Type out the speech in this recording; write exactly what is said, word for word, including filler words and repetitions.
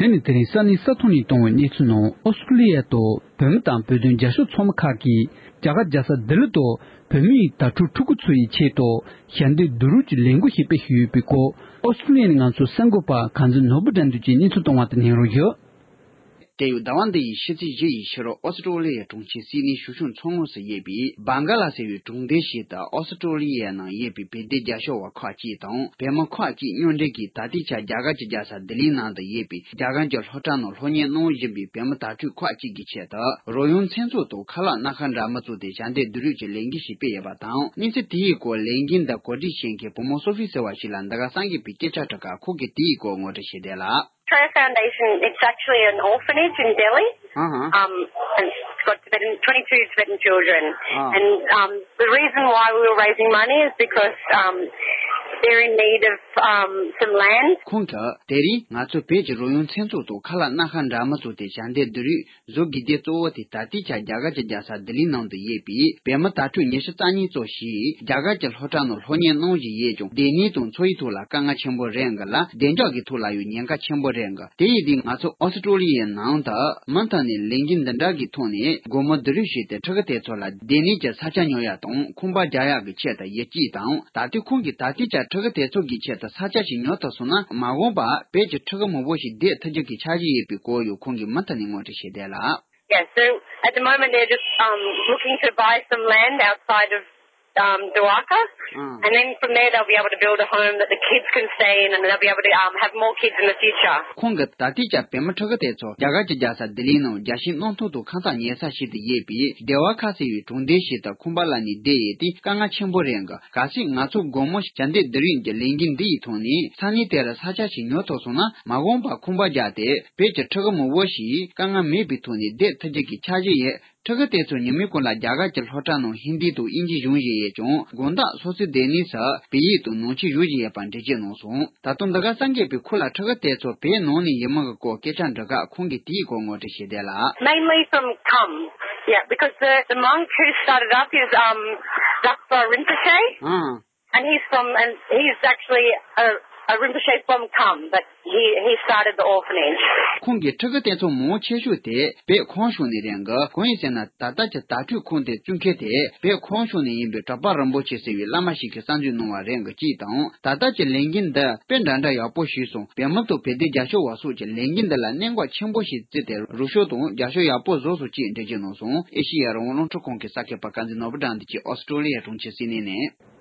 ཨ་ནི་དེ་རིང་ས་གནས་ས་ཐོག་ནས་གཏོང་བའི་གནས་ཚུལ་ནང་ཨོ་སི་ཀྲོ་ལི་ཡ་དུ་བོད་མི་དང་བོད་དོན་རྒྱབ་སྐྱོར་ཚོགས་མི་ཁག་གིས་རྒྱ་གར་རྒྱལ་ས་ལྡི་ལི་དུ་བོད་མིའི་དྭ་ཕྲུག་ཕྲུ་གུ་ཚོ་ཡི་ཆེད་དུ་ཞལ་འདེབས་བསྡུ་རུབ་ཀྱི་ལས་འགུལ་ཞིག་སྤེལ་བཞིན་ཡོད་པའི་སྐོར་ཨོ་སི་ཀྲོ་ལི་ཡ་ནས་ང་ཚོའི་གསར་འགོད་པ་གངས་འཛིན་ནོར་བུ་དགྲ་འདུལ་གྱིས་གནས་ཚུལ་བཏང་བ་དེ་ཉན་རོགས་ཞུ། དེ་ཡང་ཟླ་བ་འདི་ཡི་ཕྱི་ཚེས་བཞི་ཡི་ཕྱི་རུ་ཨོ་སི་ཀྲོ་ལི་ཡའི་གྲོང་ཁྱེར་སིད་ནི་ཞོ་ཤུན་མཚོ་ངོས་སུ་ཡོད་པའི་བང་ག་ལ་ཟེར་བའི་གྲོང་སྡེ་ཞིག་ཏུ་ཨོ་སི་ཀྲོ་ལི་ཡའི་ནང་ཡོད་པའི་བོད་དོན་རྒྱབ་སྐྱོར་བ་ཁག་ཅིག་དང་བོད་མི་ཁག་ཅིག་མཉམ་འབྲེལ་གྱིས་ད་ལྟའི་ཆར་རྒྱ་གར་གྱི་རྒྱལ་ས་ལྡི་ལིའི་ནང་དུ་ཡོད་པའི་རྒྱ་གར་གྱི་སློབ་གྲྭ་ནང་སློབ་གཉེར་གནང་བཞིན་པའི་བོད་མི་དྭ་ཕྲུག་ཁག་ཅིག་གི་ཆེད་དུ་རོལ་དབྱངས་མཚན་ཚོགས་དང་ཁ་ལག་སྣ་ཁ་འདྲ་མིན་བཙུགས་ཏེ་ཞལ་འདེབས་བསྡུ་རུབ་ཀྱི་ལས་འགུལ་ཞིག་སྤེལ་ཡོད་པ་དང་། གནས་ཚུལ་དེའི་སྐོར་ལས་འགུལ་འདི་གོ་སྒྲིག་བྱེད་མཁན་བུ་མོ་སོ་ཧྥི་ཟེར་བ་ཞིག་ལ་འདི་ག་གསར་འགོད་པས་སྐད་ཆ་དྲིས་སྐབས་ཁོང་གིས་དེའི་སྐོར་ངོ་སྤྲོད་བྱས་བསྡད་ལ། Traya Foundation, it's actually an orphanage in Delhi. Uh-huh. Um, and it's got Tibetan, twenty-two Tibetan children. Ah. And um, the reason why we were raising money is because um, they're in need of um, some land. ཁོང་གིས་དེ་རིང་ང་ཚོ་བོད་ཀྱི་རོལ་དབྱངས་མཚན་ཚོགས་དང་ཁ་ལག་སྣ་ཁ་འདྲ་མིན་བཙུགས་ཏེ་ཞལ་འདེབས་བསྡུ་རུབ་བཟོ་དགོས་དོན་གཙོ་བོ་དེ་ད་ལྟའི་ཆར་རྒྱ་གར་གྱི་རྒྱལ་ས་ལྡི་ལིའི་ནང་དུ་ཡོད་པའི་བོད་མི་དྭ་ཕྲུག་ཉི་ཤུ་རྩ་གཉིས་ཙམ་ཞིག་རྒྱ་གར་གྱི་སློབ་གྲྭ་ནང་སློབ་གཉེར་གནང་བཞིན་ཡོད་ཀྱང་སྡོད་གནས་དང་འཚོ་བའི་ཐོག་ལ་དཀའ་ངལ་ཆེན་པོ་རེད་འགའ་ལ་བདེ་འཇགས་ཀྱི་ཐོག་ལ་ཡང་ཉེན་ཁ་ཆེན་པོ་རེད་འགའ། དེ་ཡིན་དུས་ང་ཚོ་ཨོ་སི་ཀྲོ་ལི་ཡའི་ནང་དུ་མུ་མཐུད་ནས་ལས་འགུལ་འདི་འདྲ་གི་ཐོག་ནས་སྒོར་མོ་བསྡུ་རུབ་བྱས་ཏེ་ཕྲུ་གུ་དེ་ཚོ་ལ་སྡོད་གནས་ཀྱི་ས་ཆ་ཉོ་ཡ་དང་ཁང་པ་རྒྱག་ཡ་གི་ཆེད་དུ་ཡིད་ཆེས་དང་། ད་ལྟའི་ཁོང་གིས་ད་ལྟའི་ཆར་ཕྲུ་གུ་དེ་ཚོ་གི་ཆེད་དུ་ས་ཆ་ཞིག་ཉོ་ཐུབ་སོང་ན་མ་འོངས་པར་བོད་ཀྱི་ཕྲུ་གུ་མང་པོ་ཞིག་བསྡད་ཐུབ་རྒྱུ་གི་འཆར་གཞི་ཡོད་པའི་སྐོར་ཡང་ཁོང་གིས་མུ་མཐུད་ནས་ངོ་སྤྲོད་བྱས་བསྡད་ལ། Yeah, so at the moment they're just um, looking to buy some land outside of um, Dwarka, mm. And then from there they'll be able to build a home that the kids can stay in, and they'll be able to um, have more kids in the future. ཁོང་གིས་ད་ལྟའི་ཆར་བོད་མི་ཕྲུ་གུ་དེ་ཚོ་རྒྱ་གར་གྱི་རྒྱལ་ས་ལྡི་ལིའི་ནང་རྒྱལ་སྤྱིའི་གནམ་ཐང་དུ་ཁང་གསར་ཉོ་ས་ཞིག་ཏུ་ཡོད་པའི་སྡེ་བ་ཁ་ཟེར་བའི་གྲོང་སྡེ་ཞིག་ཏུ་ཁང་པ་གླ་ནས་བསྡད་ཡོད་དེ་དཀའ་ངལ་ཆེན་པོ་རེད་འགའ། གལ་སྲིད་ང་ཚོ་སྒོར་མོ་ཞལ་འདེབས་བསྡུ་རུབ་ཀྱི་ལས་འགུལ་འདི་ཡི་ཐོག་ནས་ས་གནས་དེར་ས་ཆ་ཞིག་ཉོ་ཐུབ་སོང་ན་མ་འོངས་པར་ཁང་པ་རྒྱག་སྟེ་བོད་ཀྱི་ཕྲུ་གུ་མང་པོ་ཞིག་དཀའ་ངལ་མེད་པའི་ཐོག་ནས་བསྡད་ཐུབ་རྒྱུ་གི་འཆར་གཞི་ཡོད། ཕྲུ་གུ་དེ་ཚོ་ཉིན་མོའི་གུང་ལ་རྒྱ་གར་གྱི་སློབ་གྲྭ་ནང་ཧིན་དི་དང་དབྱིན་ཇི་སྦྱོང་བཞིན་ཡོད་ཀྱང་དགོང་དག་སོ་སོའི་སྡོད་གནས་སུ་བོད་ཡིག་དང་ནང་ཆོས་སྦྱོང་བཞིན་ཡོད་པ་འགྲེལ་བརྗོད་གནང་སོང་། ད་དུང་འདི་ག་གསར་འགོད་པས་ཁོ་ལ་ཕྲུ་གུ་དེ་ཚོ་བོད་ནང་ནས་ཡིན་མིན་གྱི་སྐོར་སྐད་ཆ་འདྲི་སྐབས་ཁོང་གིས་དེའི་སྐོར་ངོ་སྤྲོད་བྱས་བསྡད་ལ། Mainly from Kham. Yeah, because the, the monk who started up is um, Lakpa Rinpoche. Ah. And he's from, and he's actually a, a Rinpoche from Kham, but he, he started the orphanage. ཁོང་གིས་ཕྲུ་གུ་དེ་ཚོ་མང་ཆེ་ཤོས་དེ་བོད་ཁམས་ཕྱོགས་ནས་རེད་འགའ། གང་ཡིན་ཟེར་ན་ད་ལྟ་གྱི་དྭ་ཕྲུག་ཁང་དེ་བཙུགས་མཁན་དེ་བོད་ཁམས་ཕྱོགས་ནས་ཡིན་པའི་གྲགས་པ་རིན་པོ་ཆེ་ཟེར་བའི་བླ་མ་ཞིག་གིས་གསར་འཛུགས་གནང་བ་རེད་འགའ་གཅིག་དང་། ད་ལྟ་གྱི་ལས་འགུལ་འདི་དཔེ་འདྲ་འདྲ་ཡག་པོ་ཞིག་སོང་། བོད་མི་དང་བོད་དོན་རྒྱབ་སྐྱོར་བ་སོགས་ཀྱིས་ལས་འགུལ་འདི་ལ་གནད་འགག་ཆེན་པོ་ཞིག་བརྩིས་ཏེ་རོགས་སྐྱོར་དང་རྒྱབ་སྐྱོར་ཡག་པོ་བཟོས་སོང་ཅེས་འགྲེལ་བརྗོད་གནང་སོང་། ཨེ་ཤེ་ཡ་རང་དབང་རླུང་འཕྲིན་ཁང་གི་གསར་འགོད་པ་བསྟན་འཛིན་ནོར་བུ་དགྲ་འདུལ་གྱིས་ཨོ་སི་ཀྲོ་ལི་ཡའི་གྲོང་ཁྱེར་སིད་ནི་ནས།